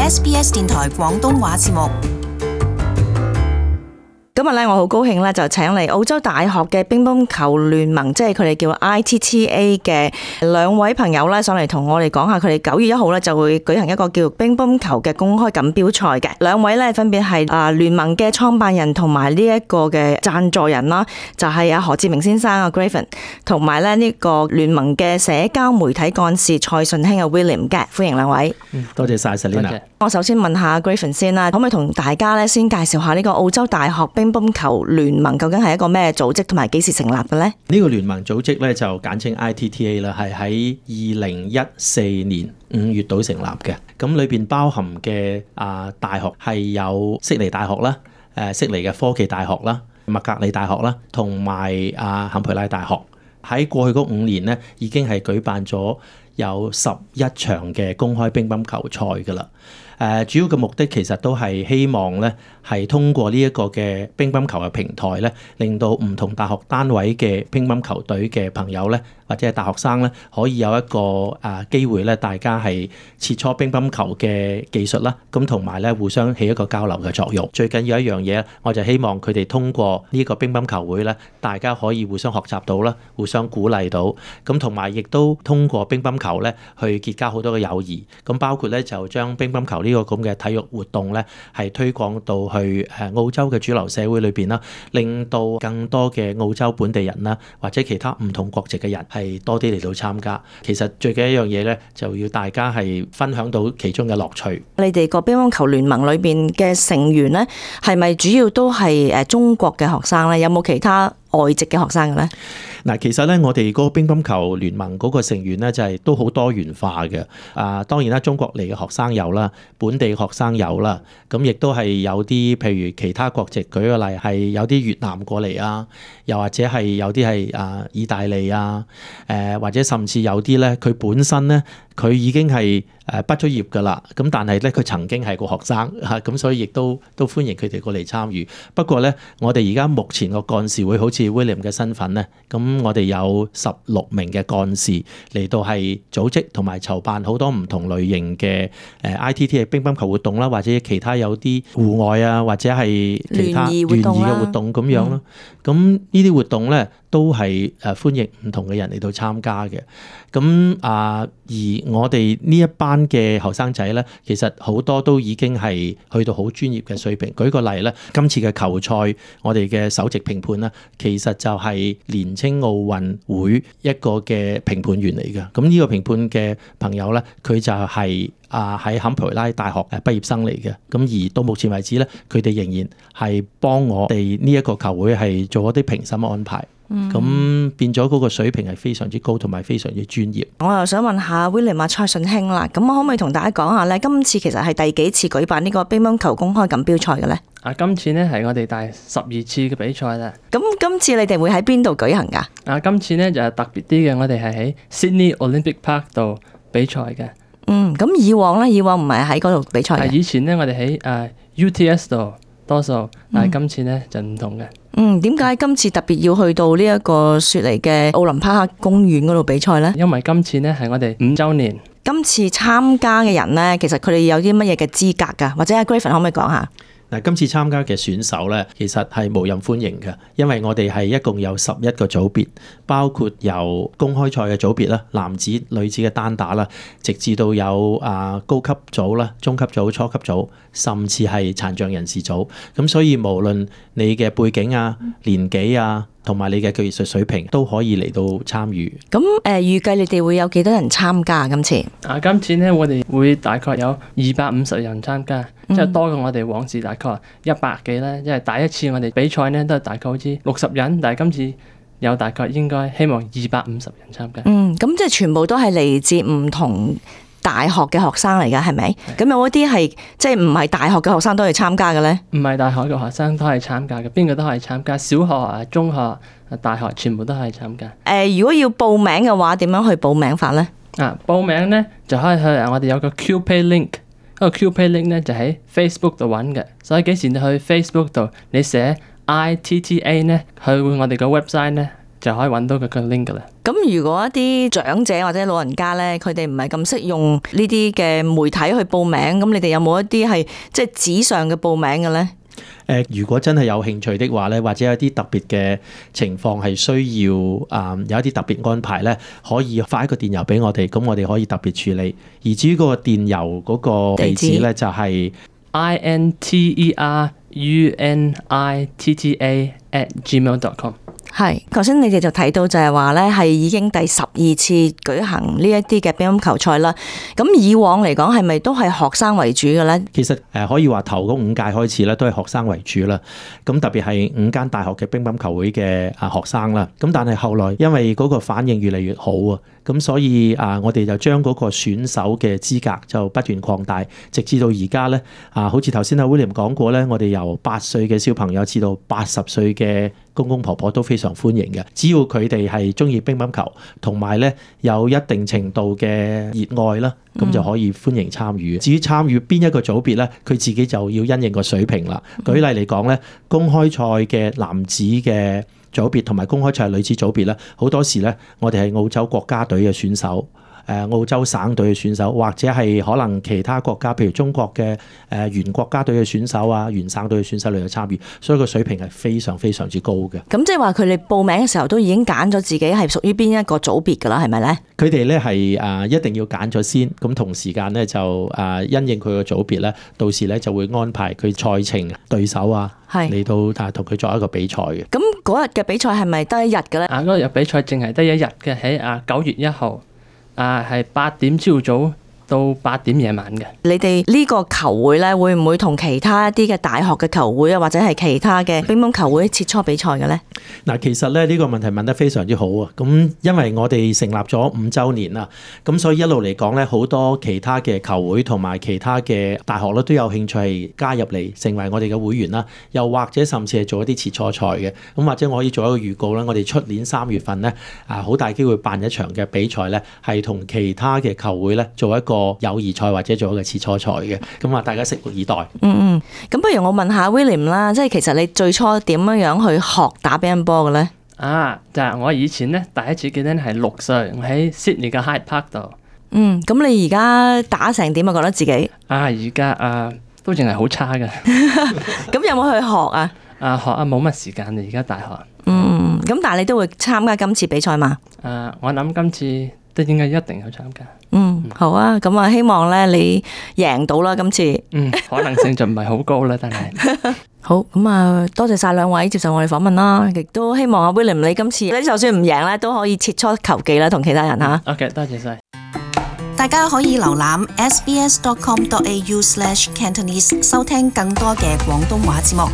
SBS 電台廣東話節目。今日咧，我好高興咧，就請嚟澳洲大學嘅乒乓球聯盟，即係佢哋叫 ITTA 嘅兩位朋友咧，上嚟同我哋講下，佢哋9月1號咧就會舉行一個叫乒乓球嘅公開錦標賽嘅。兩位咧分別係聯盟嘅創辦人同埋呢一個嘅贊助人啦，就係阿何志明先生阿 Graven， 同埋咧呢個聯盟嘅社交媒體幹事蔡順興阿 William 嘅，歡迎兩位。多謝晒 Selina。我首先問下 Graven 先啦，可唔可以同大家咧先介紹下呢個澳洲大學乒乓球聯盟究竟係一個咩組織，同埋幾時成立嘅呢？呢個聯盟組織咧就簡稱 ITTA 啦，係喺2014年5月度成立嘅。咁裏邊包含嘅大學係有悉尼大學啦、悉尼嘅科技大學啦、麥格里大學啦，同埋坎培拉大學。喺過去嗰5年咧，已經係舉辦咗有11場嘅公開乒乓球賽㗎啦。主要嘅目的其實都係希望咧，係通過呢一個嘅乒乓球嘅平台咧，令到唔同大學單位嘅乒乓球隊嘅朋友咧，或者係大學生咧，可以有一個機會咧，大家係切磋乒乓球嘅技術啦，咁同埋咧互相起一個交流嘅作用。最緊要一樣嘢，我就希望佢哋通過呢個乒乓球會咧，大家可以互相學習到啦，互相鼓勵到，咁同埋亦都通過乒乓球咧去結交好多嘅友誼。咁包括咧就將乒乓球呢個咁嘅體育活動咧，係推廣到去澳洲嘅主流社會裏邊啦，令到更多嘅澳洲本地人啦，或者其他唔同國籍嘅人係多啲嚟到參加。其實最緊一樣嘢咧，就要大家係分享到其中嘅樂趣。你哋個乒乓球聯盟裏邊嘅成員咧，係咪主要都係中國嘅學生咧？有冇其他外籍嘅學生嘅咧？嗱，其實咧，我哋嗰個乒乓球聯盟嗰個成員咧，就係都好多元化嘅。當然啦，中國嚟嘅學生有啦，本地學生有啦，咁亦都係有啲譬如其他國籍，舉個例係有啲越南過嚟啊，又或者係有啲係意大利啊，或者甚至有啲咧，佢本身咧佢已經係畢咗業㗎啦，咁但係咧佢曾經係個學生嚇，咁所以亦都歡迎佢哋過嚟參與。不過咧，我哋而家目前個幹事會好似 William 嘅身份咧，咁我哋有16名嘅幹事嚟到係組織同埋籌辦好多唔同類型嘅ITTA 嘅乒乓球活動啦，或者其他有啲戶外啊，或者係其他聯誼嘅活動咁樣咯。咁呢啲活動咧都係歡迎唔同嘅人嚟到參加嘅。咁而我哋呢一班嘅後生仔咧，其實好多都已經係去到好專業嘅水平。舉個例咧，今次嘅球賽，我哋嘅首席評判咧，其實就係年青奧運會一個嘅評判員嚟嘅。咁呢個評判嘅朋友咧，佢就係喺坎培拉大學畢業生嚟嘅。咁而到目前為止咧，佢哋仍然係幫我哋呢一個球會係做一啲評審安排。咁變咗嗰個水平係非常之高，同埋非常之專業。我又想問下 William 蔡順興啦，咁我可唔可以同大家講下咧？今次其實係第幾次舉辦呢個乒乓球公開錦標賽嘅咧？今次呢係我哋第12次嘅比賽啦。咁今次你哋會喺邊度舉行㗎？今次呢就係特別啲嘅，我哋係喺 Sydney Olympic Park 度比賽嘅。咁以往咧，以往唔係喺嗰度比賽嘅。以前呢，我哋喺UTS 度多數，但係今次呢就唔同嘅。點解今次特別要去到呢一個雪梨嘅奧林匹克公園嗰度比賽呢？因為今次呢係我哋5週年。今次參加嘅人呢，其實佢哋有啲乜嘢嘅資格㗎？或者阿 Graven 可唔可以講下？嗱，今次參加嘅選手咧，其實係無任歡迎嘅，因為我哋係一共有11個組別，包括由公開賽嘅組別啦、男子、女子嘅單打啦，直至到有高級組啦、中級組、初級組，甚至係殘障人士組。咁所以無論你嘅背景啊、年紀啊，同埋你嘅技術水平都可以嚟到參與。咁預計你哋會有幾多人參加今次？今次呢，我哋會大概有250人參加，即係多過我哋往時大概100幾啦。因為第一次我哋比賽呢都係大概好似60人，但係今次有大概應該希望250人參加。咁即係全部都係嚟自唔同大學嘅學生嚟㗎，係咪？咁有一啲係即係唔係大學嘅學生都係參加嘅咧？唔係大學嘅學生都係參加嘅，邊個都係參加，小學、中學、大學全部都係參加。如果要報名嘅話，點樣去報名法咧？報名咧就可以去我哋有個 QPay link，嗰個 QPay link 咧就喺 Facebook 度揾嘅，所以幾時你去 Facebook 度你寫 ITTA 咧，去我哋個 website 咧。就可以揾到佢個 link 噶啦。咁如果一啲長者或者老人家咧，佢哋唔係咁識用呢啲嘅媒體去報名，咁你哋有冇一啲係即係紙上嘅報名嘅咧？如果真係有興趣的話咧，或者有啲特別嘅情況係需要有一啲特別安排咧，可以發一個電郵俾我哋，咁我哋可以特別處理。而至於嗰個電郵嗰個地址咧，就係 interunitta@gmail.com。係，頭先你哋就睇到就係話咧，係已經第12次舉行呢一啲嘅乒乓球賽啦。咁以往嚟講係咪都係學生為主嘅咧？其實可以話頭嗰5屆開始咧，都係學生為主啦。咁特別係5間大學嘅乒乓球會嘅學生啦。咁但係後來因為嗰個反應越嚟越好啊，咁所以我哋就將嗰個選手嘅資格就不斷擴大，直至到而家咧好似頭先阿 William 講過咧，我哋由8歲嘅小朋友至到80歲嘅公公婆婆都非常歡迎嘅，只要佢哋係中意乒乓球，同埋咧有一定程度嘅熱愛啦，咁就可以歡迎參與。至於參與邊一個組別咧，佢自己就要因應個水平啦。舉例嚟講咧，公開賽嘅男子嘅組別同埋公開賽女子組別咧，好多時咧我哋係澳洲國家隊嘅選手。澳洲省隊嘅選手，或者係可能其他國家，譬如中國嘅原國家隊嘅選手啊，原省隊嘅選手嚟到參與，所以個水平係非常非常之高嘅。咁即係話佢哋報名嘅時候都已經揀咗自己係屬於邊一個組別㗎啦，係咪咧？佢哋咧係一定要揀咗先，咁同時間咧就因應佢個組別咧，到時咧就會安排佢賽程對手啊嚟到同佢作一個比賽嘅。咁嗰日嘅比賽係咪得一日嘅咧？嗰日比賽淨係得一日嘅，喺9月1號。係8點朝早到8點夜晚嘅。你哋呢個球會咧，會唔會同其他一啲嘅大學嘅球會啊，或者係其他嘅乒乓球會切磋比賽嘅咧？嗱，其實咧呢個問題問得非常之好啊！咁因為我哋成立咗5週年啦，咁所以一路嚟講咧，好多其他嘅球會同埋其他嘅大學咧都有興趣係加入嚟成為我哋嘅會員啦，又或者甚至係做一啲切磋賽嘅。咁或者我可以做一個預告啦，我哋出年3月份咧好大機會辦一場嘅比賽咧，係同其他嘅球會咧做一個友誼賽或者做一個切磋賽嘅。咁大家拭目以待。咁不如我問下 William 啦，即係其實你最初點樣去學打乒乓波嘅咧？就係我以前咧第一次記得係6歲，我喺 Sydney 嘅 Hyde Park 度。咁你而家打成點啊？覺得自己而家都淨係好差嘅。咁有冇去學啊？學冇乜時間，而家大學。咁但係你都會參加今次比賽嘛？我諗今次都應該一定去參加。好啊，咁希望咧你贏到啦今次。可能性就唔係好高啦，但係。好，咁多謝晒兩位接受我哋訪問啦，亦都希望阿 William 你今次你就算唔贏咧，都可以切磋球技啦，同其他人吓。OK， 多謝晒。大家可以瀏覽 sbs.com.au/Cantonese 收聽更多嘅廣東話節目。